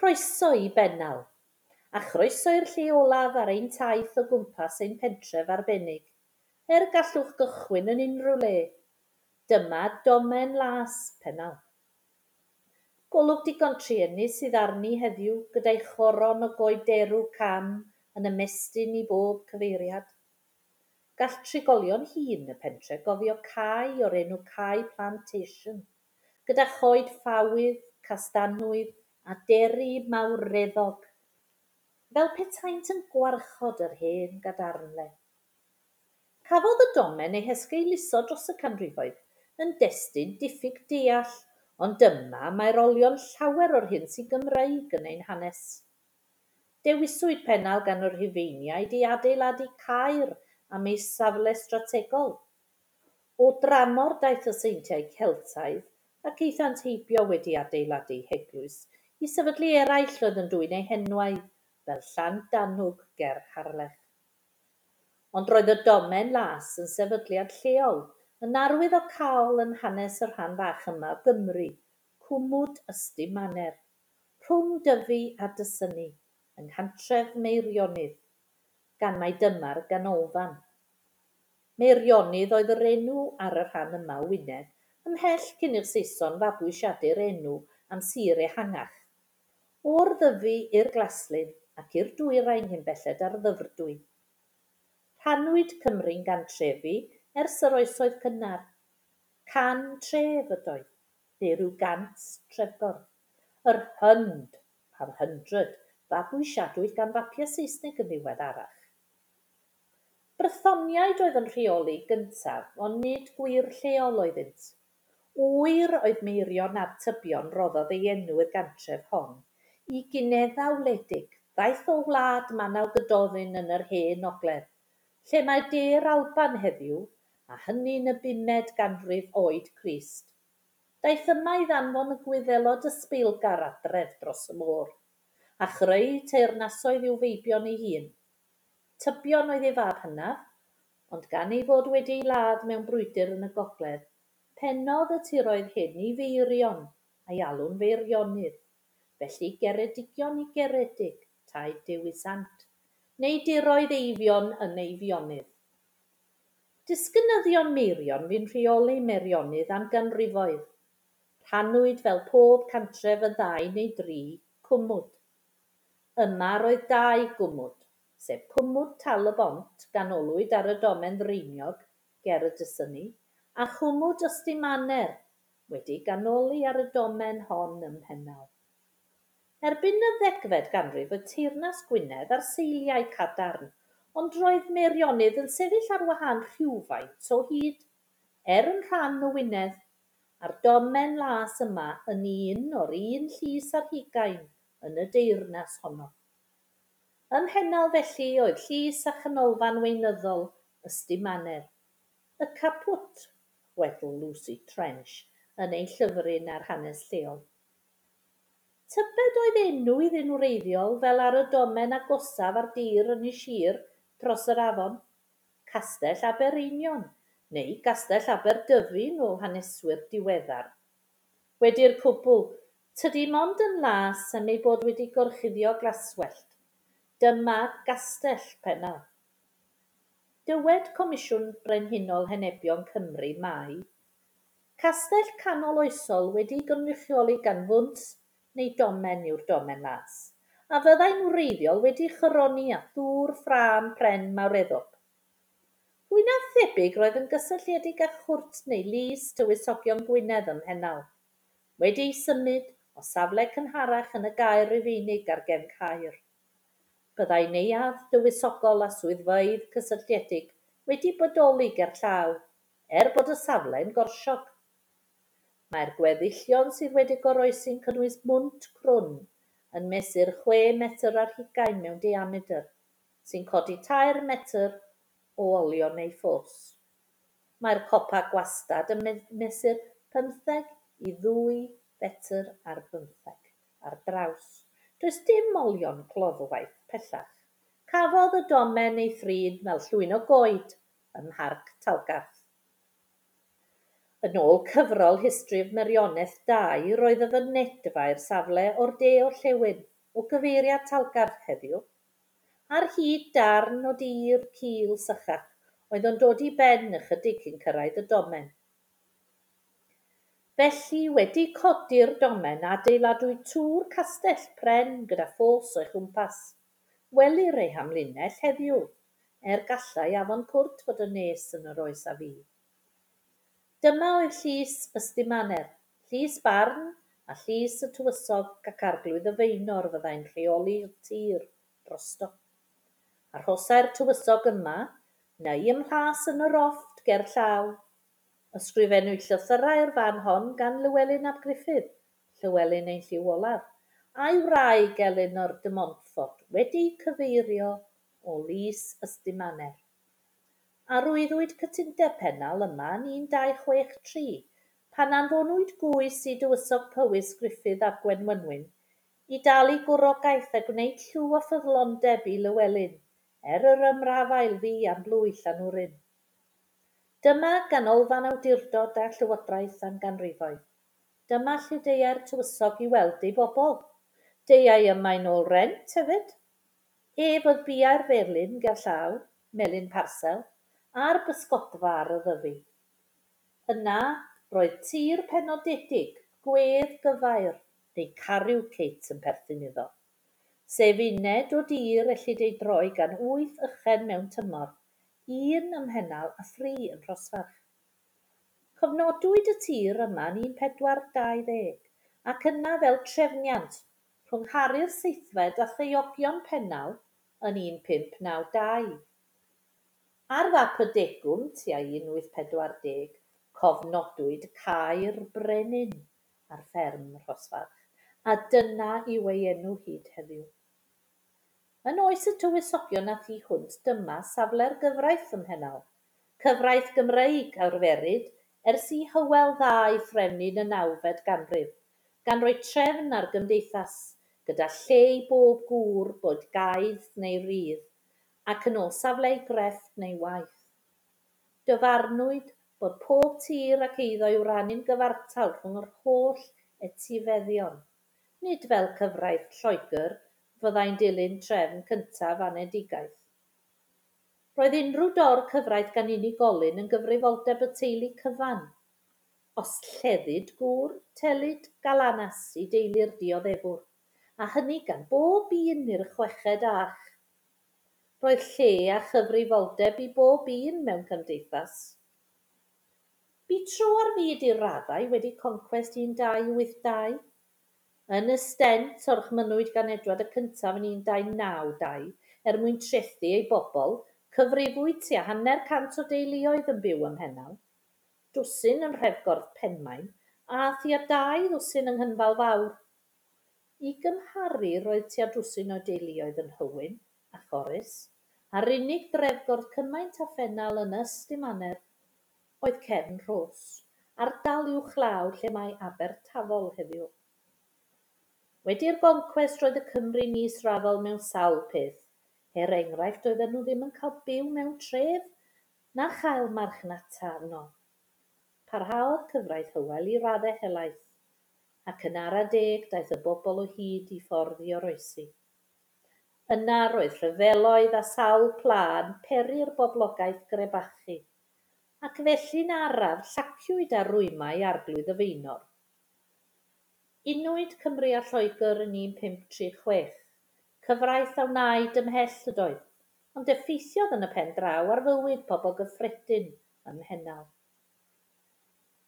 Croeso i Bennal, a chroeso i'r lle olaf ar ein taith o gwmpas ein pentref arbennig, er gallwch gychwyn yn unrhyw le. Dyma Domen Las Pennal. Golwg digon truenus sydd arni heddiw, gyda'i choron o goed derw cam yn ymestyn i bob cyfeiriad. Gall trigolion hŷn y pentre gofio cae o'r enw Cae Plantation, gyda choed ffawydd, castanwydd a deri mawreddog, fel petaent yn gwarchod yr hen gadarnle. Cafodd y domen ei hesgeuluso dros y canrifoedd, yn destun diffyg deall, ond dyma mae'r olion llawer o'r hyn sy'n Gymreig yn ein hanes. Dewiswyd Pennal gan y Rhufeiniaid i adeiladu caer am ei safle strategol. O dramor daeth y seintiau Celtaidd ac aethant heibio wedi adeiladu heglwys i sefydlu eraill oedd yn dwyn eu henwau, fel Llandanwg ger Harlech. Ond roedd y Domen Las yn sefydliad lleol, yn arwyddocaol yn hanes y rhan fach yma o Gymru, cwmwd Ystum Maner, rhwng Dyfi a Dysynni, yng nghantref Meirionnydd, gan mai dyma'r ganolfan. Meirionnydd oedd yr enw ar y rhan yma o Wynedd, ymhell cyn i'r Saeson fabwysiadu'r enw am sir ehangach. O'r Ddyfi i'r Glaslyn ac i'r dwyrain cyn belled â'r Ddyfrdwy. Rhannwyd Cymru'n gantrefi ers yr oesoedd cynnar. Can tref ydoedd, neu ryw gant trefgordd. Yr hund a'r hundred fabwysiadwyd gan fapiau Saesneg yn ddiweddarach. Brythoniaid oedd yn rheoli gyntaf, ond nid gwir lleol oeddynt. Ŵyr oedd Meirion ap Tybion roddodd ei enw i'r gantref hon, i Ginedda wledig, ddaeth o wlad Manaw Gododdin yn yr Hen Ogledd, lle mae De'r Alban heddiw, a hynny'n y bumed ganrif oed Crist. Daeth yma i ddanfon y Gwyddelod ysbeilgar adref dros y môr, a chreu teyrnasoedd i'w feibion ei hun. Tybion oedd ei fab hynaf, ond gan ei fod wedi ei ladd mewn brwydr yn y gogledd, pennodd y tiroedd hyn i Feirion, a'i alw'n Feirionydd, felly Geredigion i Geredig, taid Dewi Sant, neu diroedd Eifion yn Eifionydd. Disgynyddion Meirion fu'n rheoli Meirionydd am ganrifoedd. Rhannwyd fel pob cantref yn ddau neu dri cwmwd. Yma roedd dau gwmwd, sef cwmwd Tal-y-bont, ganolwyd ar y domen ddraeniog ger y Dysynni, a chwmwd Ystumanner, wedi'i ganoli ar y domen hon ym Mhennal. Erbyn y ddegfed ganrif roedd teyrnas Gwynedd ar seiliau cadarn, ond roedd Meirionnydd yn sefyll ar wahân rhywfaint o hyd, er yn rhan o Wynedd, a'r domen las yma yn un o'r un llys ar hugain yn y deyrnas honno. Ym Mhennal felly oedd llys a chanolfan weinyddol Ystumanner, y caput, chwedl Lucy Trench yn ei llyfryn ar hanes lleol. Tybed oedd enw iddyn wreiddiol fel ar y domen agosaf ar dir Ynys Sir dros yr afon, Castell Abereinion, neu Gastell Aberdyfi yn ôl haneswyr diweddar. Wedi'r cwbl, tydi mond yn las am ei bod wedi gorchuddio glaswellt. Dyma Gastell Pennal. Dywed Comisiwn Brenhinol Henebion Cymru mai castell canol oesol wedi'i gynrychioli gan fwnt neu domen yw'r domen las, a fyddai'n wreiddiol wedi choroni â thŵr ffrâm pren mawreddog. Fwy na thebyg roedd yn gysylltiedig â chwrt neu lys tywysogion Gwynedd ym Mhennal, wedi'i symud o safle cynharach yn y gaer Rufeinig ar gefn Caer. Byddai neuadd dywysogol a swyddfeydd cysylltiedig wedi bodoli gerllaw, er bod y safle'n gorsiog. Mae'r gweddillion sydd wedi goroesi'n cynnwys mwnt crwn yn mesur 6 metr ar hugain mewn diamedr, sy'n codi 3 metr o olion ei ffos. Mae'r copa gwastad yn mesur 15 i 2 fetr ar bymtheg ar draws. Does dim olion cloddwaith pellach. Cafodd y domen ei thrin fel llwyn o goed ym Mharc Talgarth. Yn ôl cyfrol History of Merioneth 2, roedd y fynedfa i'r safle o'r de-orllewin. o gyfeiriad Talgarth heddiw, ar hyd darn o dir cul sychach oedd yn dod i ben ychydig cyn cyrraedd y domen. Felly, wedi codi'r domen, adeiladwyd tŵr castell pren gyda ffos o'i chwmpas. Welir ei hamlinell heddiw, er gallai afon Cwrt fod yn nes yn yr oes a fu. Dyma oedd llys Ystumanner, llys barn a llys y tywysog ac arglwydd y Faenor fyddai'n rheoli'r tir drosto. Arhosai'r tywysog yma, neu ym mhlas yn y rofft ger llaw. Ysgrifennwyd llythyrau'r fan hon gan Lywelyn ap Gruffydd, Llywelyn ein llyw olaf, a'i wraig Elinor de Montfort wedi'u cyfeirio o Lys Ystumanner. Arwyddwyd cytundeb Pennal yma yn 1263, pan anfonwyd gwys i dywysog Powys Gruffydd ap Gwenwynwyn i dalu gwrogaeth a gwneud llw o ffyddlondeb i Lywelyn, er yr ymrafael fu am blwy Llanwrin. Dyma ganolfan awdurdod a llywodraeth am ganrifoedd. Dyma lle deuai'r tywysog i weld ei bobl. Deuai yma i nôl rent hefyd. Ef oedd biau'r felin gerllaw, Melin Parsel, a'r bysgodfa ar y Ddyfi. Yna, roedd tir penodedig, gwedd gyfair, neu carucate yn perthyn iddo, sef uned o dir ellid ei droi gan wyth ychen mewn tymor, un ym Mhennal a thri yn Rhosfarch. Cofnodwyd y tir yma yn 1420, ac yna fel trefniant rhwng Harri'r Seithfed a Thaeogion Pennal yn 1592. Ar fap y degwm tua 1840, cofnodwyd Cae'r Brenin ar fferm Rhosfarch, a dyna yw ei enw hyd heddiw. Yn oes y tywysogion a thu hwnt dyma safle'r gyfraith ym Mhennal, cyfraith Gymreig arferid ers i Hywel Dda ei threfnu yn y nawfed ganrif, gan roi trefn ar gymdeithas, gyda lle i bob gŵr, boed gaeth neu rydd, ac yn ôl safle ei grefft neu waith. Dyfarnwyd bod pob tir ac eiddo i'w rannu'n gyfartal rhwng yr holl etifeddion, nid fel cyfraith Lloegr fyddai'n dilyn trefn cyntaf anedigaeth. Roedd unrhyw dor cyfraith gan unigolyn yn gyfrifoldeb y teulu cyfan. Os lleddid gŵr, telid galanas i deulu'r dioddefwr, a hynny gan bob un i'r chweched ach. Roedd lle a chyfrifoldeb i bob un mewn cymdeithas. Bu tro ar fyd i raddau wedi concwest 1282. Yn y stent, orchmynnwyd gan Edward y Cyntaf yn 1292 er mwyn trethu ei bobl, cyfrifwyd tua hanner cant o deuluoedd yn byw ym Mhennal, dwsin yn Nhrefgordd Penmaen a thua dau ddwsin yng Nghynfal Fawr. I gymharu, roedd tua dwsin o deuluoedd yn Nhywyn a Chorris, a'r unig drefgordd cymaint â Phennal yn Ystumanner oedd Cefn Rhos, ardal uwchlaw lle mae Abertafol heddiw. Wedi'r goncwest roedd y Cymry'n israddol mewn sawl peth, er enghraifft doedden nhw ddim yn cael byw mewn tref na chael marchnata yno. Parhaodd cyfraith Hywel i raddau helaeth, ac yn ara deg daeth y bobl o hyd i ffordd i oroesi. Yna roedd rhyfeloedd a sawl pla yn peri'r boblogaeth grebachu, ac felly'n araf llaciwyd ar rwymau arglwydd y Faenor. Unwyd Cymru a Lloegr yn 1536. Cyfraith a wnaed ymhell ydoedd, ond effeithiodd yn y pen draw ar fywyd pobl gyffredin ym Mhennal.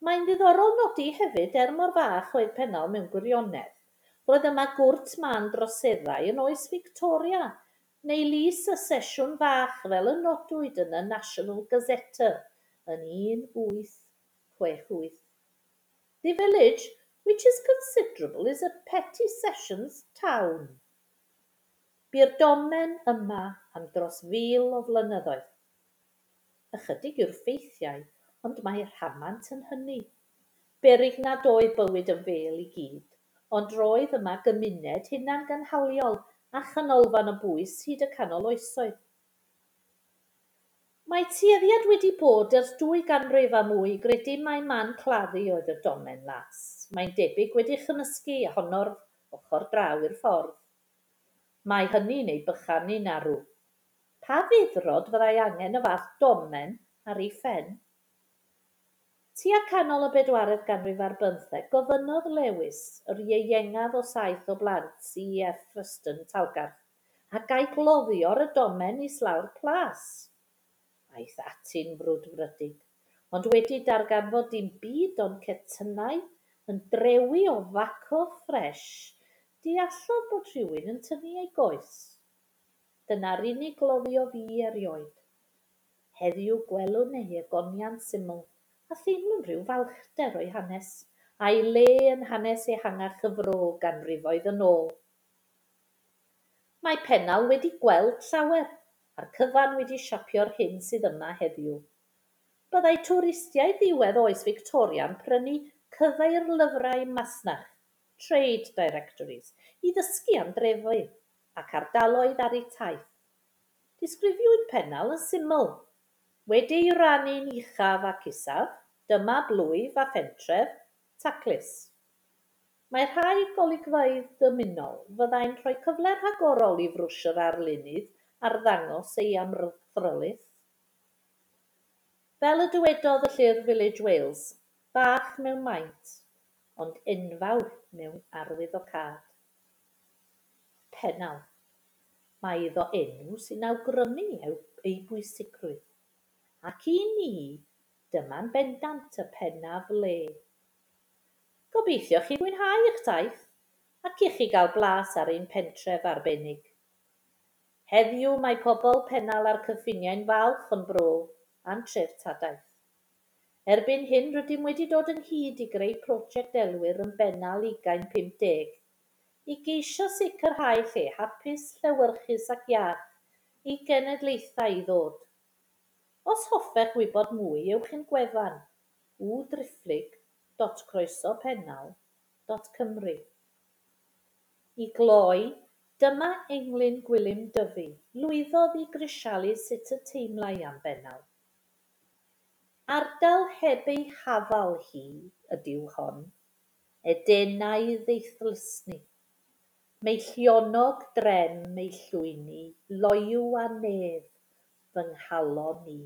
Mae'n ddiddorol nodi hefyd, er mor fach oedd Pennal mewn gwirionedd, roedd yma gwrt mân droseddau yn oes Victoria, neu lys y Sesiwn Fach fel y nodwyd yn y National Gazetteer yn 1868. The village, which is considerable, is a petty sessions town. Bu'r domen yma am dros fil o flynyddoedd. Ychydig yw'r ffeithiau, ond mae rhamant yn hynny. Beryg nad oedd bywyd yn fêl i gyd, ond roedd yma gymuned hunangynhaliol a chanolfan o bwys hyd y canol oesoedd. Mae tueddiad wedi bod ers dwy ganrif a mwy i gredu mai man claddu oedd y domen las. Mae'n debyg wedi chymysgu a honno'r ochr draw i'r ffordd. Mae hynny'n ei bychanu'n arw. Pa feddrod fyddai angen y fath domen ar ei phen? Tua canol y bedwaredd ganrif ar bymtheg, gofynnodd Lewis, yr ieuengaf o saith o blant C.F. Freston Talgarth, a gai gloddio ar y domen islaw'r plas. Aeth ati'n frwdfrydig, ond wedi darganfod dim byd ond cetynnau yn drewi o faco ffres, deallodd bod rhywun yn tynnu ei goes. Dyna'r unig gloddio fu erioed. Heddiw gwelwn ei egoniant syml, a theimlwn rhyw falchder o'i hanes, a'i le yn hanes ehangach y fro ganrifoedd yn ôl. Mae Pennal wedi gweld llawer, a'r cyfan wedi siapio'r hyn sydd yma heddiw. Byddai twristiaid ddiwedd oes Victoria'n prynu cyfeirlyfrau masnach, trade directories, i ddysgu am drefoedd ac ardaloedd ar eu taith. Disgrifiwyd Pennal yn syml. Wedi'i rannu'n uchaf ac isaf, dyma blwyf a phentref, taclus. Mae rhai golygfeydd dymunol fyddai'n rhoi cyfle rhagorol i frwsh yr arlunydd arddangos ei amrthrylith. Fel y dywedodd y llyfr Village Wales, bach mewn maint, ond enfawr mewn arwyddocâd. Pennal. Mae iddo enw sy'n awgrymu ei bwysigrwydd. Ac i ni, dyma'n bendant y pennaf le. Gobeithio chi fwynhau eich taith ac i chi gael blas ar ein pentref arbennig. Heddiw mae pobl Pennal a'r cyffiniau'n falch o'n bro a'n treftadaeth. Erbyn hyn rydym wedi dod ynghyd i greu prosiect elwir yn Bennal 2050 i geisio sicrhau lle hapus, llewyrchus ac iach i genedlaethau i ddod. Os hoffech wybod mwy, ewch i'n gwefan www.croesopennal.cymru. I gloi, dyma englyn Gwilym Dyfi, lwyddodd i grisialu sut y teimlai am Bennal. Ardal heb ei hafal hi ydyw hon, Edenaidd ei thlysni. Meillionog drem ei llwyni, loyw a nef, fy nghalon i.